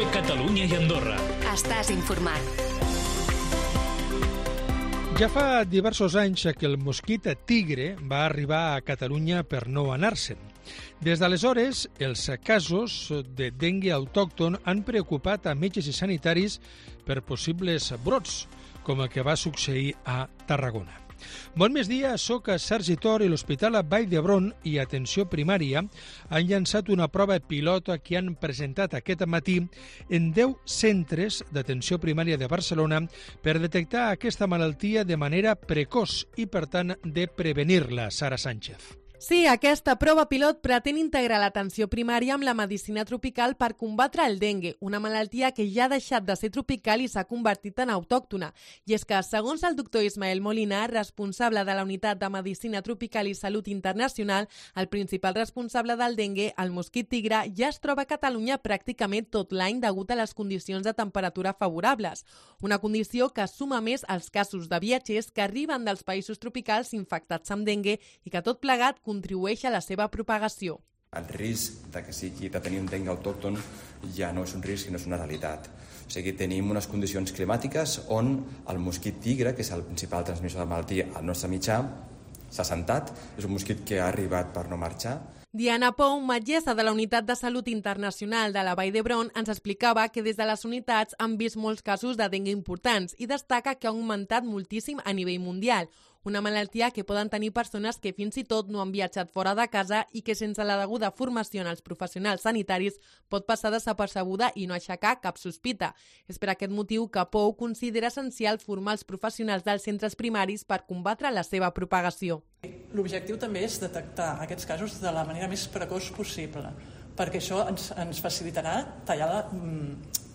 COPE Catalunya i Andorra. Estàs informat. Ja fa diversos anys que el mosquit tigre va arribar a Catalunya per no anar-se'n. Des d'aleshores, els casos de dengue autòcton han preocupat a metges i sanitaris per possibles brots, com el que va succeir a Tarragona. Bon migdia, soc a Sergi Tor i l'Hospital Vall d'Hebron i Atenció Primària han llançat una prova pilot que han presentat aquest matí en 10 centres d'atenció primària de Barcelona per detectar aquesta malaltia de manera precoç i, per tant, de prevenir-la. Sara Sánchez. Sí, aquesta prova pilot pretén integrar l'atenció primària amb la medicina tropical per combatre el dengue, una malaltia que ja ha deixat de ser tropical i s'ha convertit en autòctona. I és que, segons el doctor Ismael Molina, responsable de la Unitat de Medicina Tropical i Salut Internacional, el principal responsable del dengue, el mosquit tigre, ja es troba a Catalunya pràcticament tot l'any degut a les condicions de temperatura favorables. Una condició que suma més als casos de viatgers que arriben dels països tropicals infectats amb dengue i que tot plegat contribueix a la seva propagació. El risc de tenir un dengue autòcton ja no és un risc, sinó és una realitat. O sigui, tenim unes condicions climàtiques on el mosquit tigre, que és el principal transmissor de la malaltia al nostre mitjà, s'ha assentat. És un mosquit que ha arribat per no marxar. Diana Pou, metgessa de la Unitat de Salut Internacional de la Vall d'Hebron, ens explicava que des de les unitats han vist molts casos de dengue importants i destaca que ha augmentat moltíssim a nivell mundial. Una malaltia que poden tenir persones que fins i tot no han viatjat fora de casa i que sense la deguda formació en els professionals sanitaris pot passar desapercebuda i no aixecar cap sospita. És per aquest motiu que Pou considera essencial formar els professionals dels centres primaris per combatre la seva propagació. L'objectiu també és detectar aquests casos de la manera més precoç possible, perquè això ens facilitarà tallar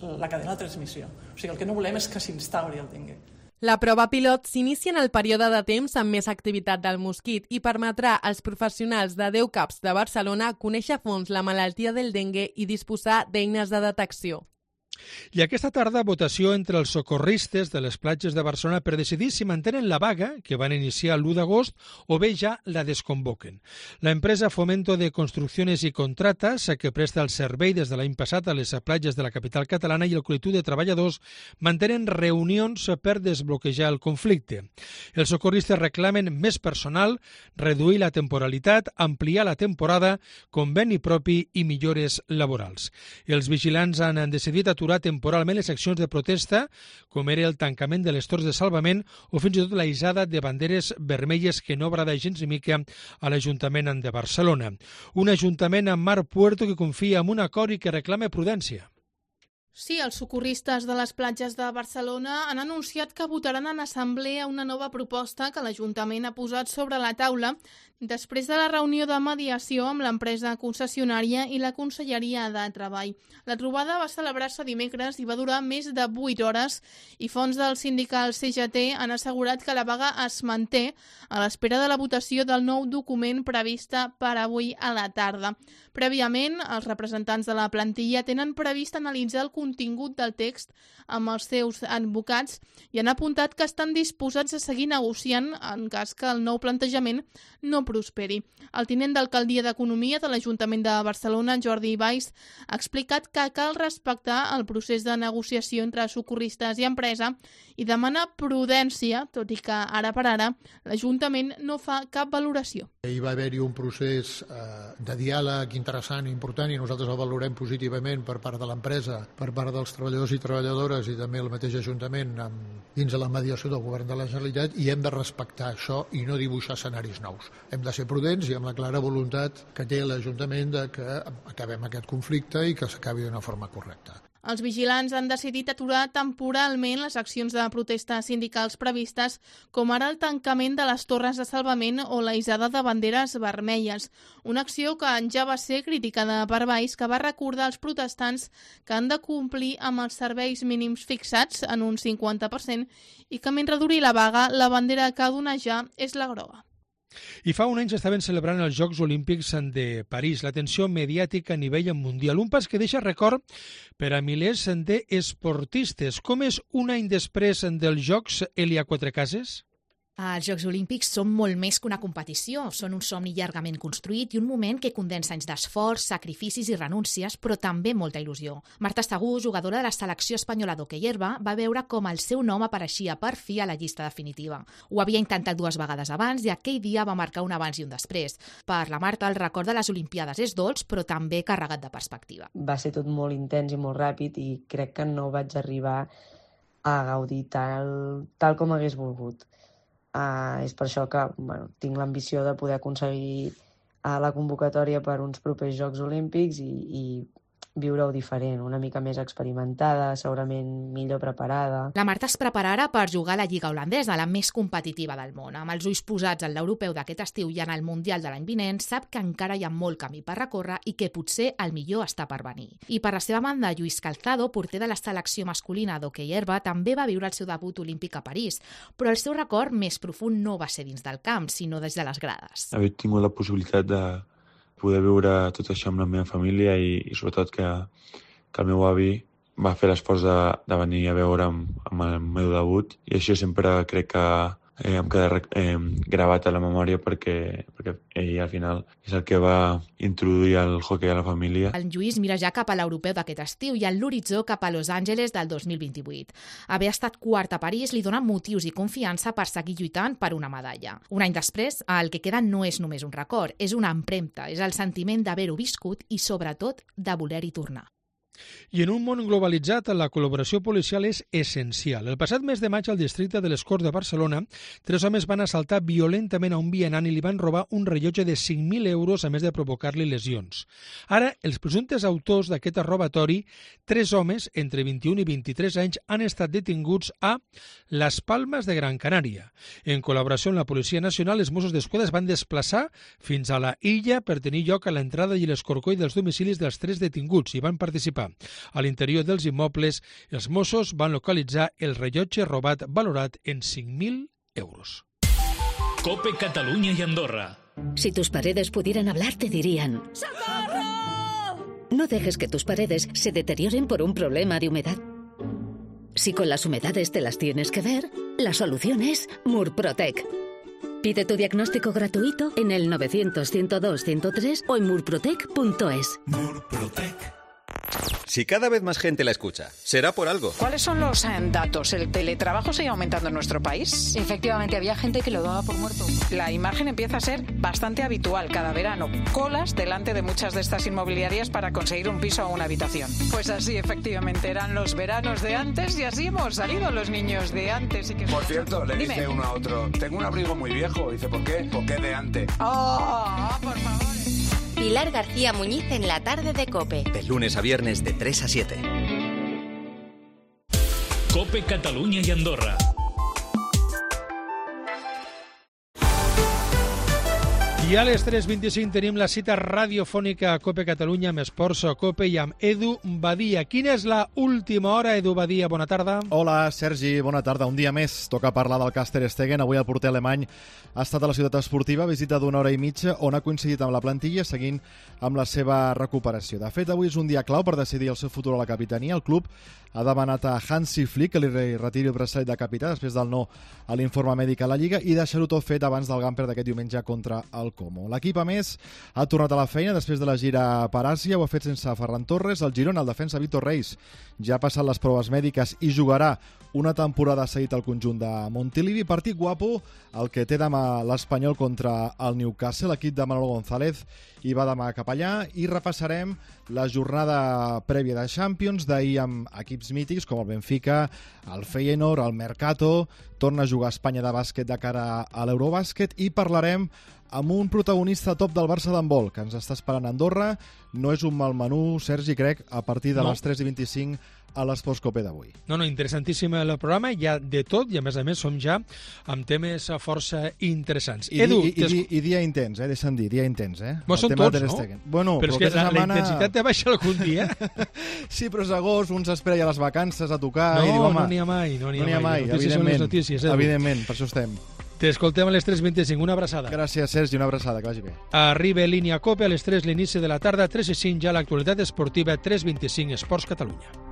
la cadena de transmissió. O sigui, el que no volem és que s'instauri el dengue. La prova pilot s'inicia en el període de temps amb més activitat del mosquit i permetrà als professionals de 10 CAPs de Barcelona conèixer a fons la malaltia del dengue i disposar d'eines de detecció. I aquesta tarda, votació entre els socorristes de les platges de Barcelona per decidir si mantenen la vaga que van iniciar l'1 d'agost o bé ja la desconvoquen. La empresa Fomento de Construcciones y Contratas, que presta el servei des de l'any passat a les platges de la capital catalana, i el col·lectiu de treballadors mantenen reunions per desbloquejar el conflicte. Els socorristes reclamen més personal, reduir la temporalitat, ampliar la temporada, conveni propi i millores laborals. Els vigilants han decidit aturar temporalment les accions de protesta, com era el tancament de les torres de salvament o fins i tot la hissada de banderes vermelles que no agrada gens ni mica a l'Ajuntament de Barcelona. Un ajuntament amb Mar Puerto que confia en un acord i que reclama prudència. Sí, els socorristes de les platges de Barcelona han anunciat que votaran en assemblea una nova proposta que l'Ajuntament ha posat sobre la taula després de la reunió de mediació amb l'empresa concessionària i la Conselleria de Treball. La trobada va celebrar-se dimecres i va durar més de 8 hores i fonts del sindical CGT han assegurat que la vaga es manté a l'espera de la votació del nou document prevista per avui a la tarda. Prèviament, els representants de la plantilla tenen previst analitzar el contingut del text amb els seus advocats i han apuntat que estan disposats a seguir negociant en cas que el nou plantejament no prosperi. El tinent d'alcaldia d'Economia de l'Ajuntament de Barcelona, Jordi Valls, ha explicat que cal respectar el procés de negociació entre socorristes i empresa i demana prudència, tot i que ara per ara l'Ajuntament no fa cap valoració. Hi va haver-hi un procés de diàleg interessant i important i nosaltres el valorem positivament per part de l'empresa, per part dels treballadors i treballadores i també el mateix Ajuntament dins de la mediació del Govern de la Generalitat, i hem de respectar això i no dibuixar escenaris nous. Hem de ser prudents i amb la clara voluntat que té l'Ajuntament de que acabem aquest conflicte i que s'acabi d'una forma correcta. Els vigilants han decidit aturar temporalment les accions de protesta sindicals previstes, com ara el tancament de les torres de salvament o la hissada de banderes vermelles. Una acció que ja va ser criticada per Valls, que va recordar als protestants que han de complir amb els serveis mínims fixats en un 50% i que mentre duri la vaga, la bandera que ha d'onejar és la groga. I fa un any s'estaven celebrant els Jocs Olímpics de París, l'atenció mediàtica a nivell mundial. Un pas que deixa record per a milers d'esportistes. Com és un any després dels Jocs, Elia Quatrecases? Els Jocs Olímpics són molt més que una competició, són un somni llargament construït i un moment que condensa anys d'esforç, sacrificis i renúncies, però també molta il·lusió. Marta Estagú, jugadora de la selecció espanyola d'hoquei herba, va veure com el seu nom apareixia per fi a la llista definitiva. Ho havia intentat 2 vegades abans i aquell dia va marcar un abans i un després. Per la Marta, el record de les Olimpiades és dolç, però també carregat de perspectiva. Va ser tot molt intens i molt ràpid i crec que no vaig arribar a gaudir tal com hagués volgut. És per això que tinc l'ambició de poder aconseguir la convocatòria per uns propers Jocs Olímpics i viure-ho diferent, una mica més experimentada, segurament millor preparada. La Marta es prepara ara per jugar a la Lliga holandesa, la més competitiva del món. Amb els ulls posats en l'europeu d'aquest estiu i en el mundial de l'any vinent, sap que encara hi ha molt camí per recórrer i que potser el millor està per venir. I per la seva banda, Lluís Calzado, porter de la selecció masculina d'hoquei herba, també va viure el seu debut olímpic a París, però el seu record més profund no va ser dins del camp, sinó des de les grades. Haver tingut la possibilitat de poder viure tot això amb la meva família i sobretot que el meu avi va fer l'esforç de venir a veure'm amb el meu debut i això sempre crec que em queda gravat a la memòria perquè ell al final és el que va introduir el hoquei a la família. El Lluís mira ja cap a l'europeu d'aquest estiu i en l'horitzó cap a Los Angeles del 2028. Haver estat quart a París li dona motius i confiança per seguir lluitant per una medalla. Un any després, el que queda no és només un record, és una empremta, és el sentiment d'haver-ho viscut i sobretot de voler-hi tornar. I en un món globalitzat, la col·laboració policial és essencial. El passat mes de maig, al districte de les Corts de Barcelona, 3 homes van assaltar violentament a un vianant i li van robar un rellotge de 5.000 euros, a més de provocar-li lesions. Ara, els presumptes autors d'aquest robatori, 3 homes entre 21 i 23 anys, han estat detinguts a Las Palmas de Gran Canària. En col·laboració amb la Policia Nacional, els Mossos d'Esquadra es van desplaçar fins a la illa per tenir lloc a l'entrada i l'escorcoll dels domicilis dels 3 detinguts i van participar. A l'interior dels immobles, els Mossos van localitzar el rellotge robat valorat en 5.000 euros. COPE Catalunya y Andorra. Si tus paredes pudieran hablar, te dirían: ¡Socorro! No dejes que tus paredes se deterioren por un problema de humedad. Si con las humedades te las tienes que ver, la solución es Murprotec. Pide tu diagnóstico gratuito en el 900-102-103 o en murprotec.es. Murprotec. Si cada vez más gente la escucha, será por algo. ¿Cuáles son los datos? ¿El teletrabajo sigue aumentando en nuestro país? Efectivamente, había gente que lo daba por muerto. La imagen empieza a ser bastante habitual cada verano. Colas delante de muchas de estas inmobiliarias para conseguir un piso o una habitación. Pues así, efectivamente, eran los veranos de antes y así hemos salido los niños de antes. Por cierto, le dice uno a otro: tengo un abrigo muy viejo. Dice: ¿por qué? ¿Por qué de antes? ¡Oh, por favor! Pilar García Muñiz en la tarde de COPE. De lunes a viernes de 3 a 7. COPE Catalunya i Andorra. I a les 3:25 tenim la cita radiofònica a COPE Catalunya amb Esports a COPE i amb Edu Badia. Quina és la última hora, Edu Badia? Bona tarda. Hola, Sergi, bona tarda. Un dia més toca parlar del Cas Ter Stegen. Avui el porter alemany ha estat a la ciutat esportiva, visita d'1 hora i mitja, on ha coincidit amb la plantilla seguint amb la seva recuperació. De fet, avui és un dia clau per decidir el seu futur a la capitania. El club ha demanat a Hansi Flick que li retiri el braçalet de capità després del no a l'informe mèdic a la Lliga i deixar-ho tot fet abans del Gamper d'aquest diumenge contra el Como. L'equip, a més, ha tornat a la feina després de la gira per Àsia, ho ha fet sense Ferran Torres. El Girona, el defensa Víctor Reis, ja ha passat les proves mèdiques i jugarà una temporada seguit al conjunt de Montilivi. Partit guapo el que té demà l'Espanyol contra el Newcastle. L'equip de Manolo González hi va demà cap allà i repassarem la jornada prèvia de Champions d'ahir amb equips mítics com el Benfica, el Feyenoord, el Mercato. Torna a jugar a Espanya de bàsquet de cara a l'Eurobàsquet i parlarem amb un protagonista top del Barça d'handbol que ens està esperant a Andorra. No és un mal menú, Sergi, crec, a partir de les 3:25 a l'Esports COPE d'avui. No, interessantíssim el programa, hi ha de tot i a més som ja amb temes força interessants. Edu, I dia intens, deixa'm dir, dia intens, Bueno, són tots, no? Bueno, però és que la intensitat te baixa algun dia. Sí, però és agost, un s'espera ja les vacances a tocar i diu, home... No n'hi ha mai, evidentment, evidentment, per això estem. T'escoltem a les 3:25, una abraçada. Gràcies, Sergi, una abraçada, que vagi bé. Arriba Línia COPE a les 3 l'inici de la tarda, 3:05 ja l'actualitat esportiva, 3:25 Esports Catalunya.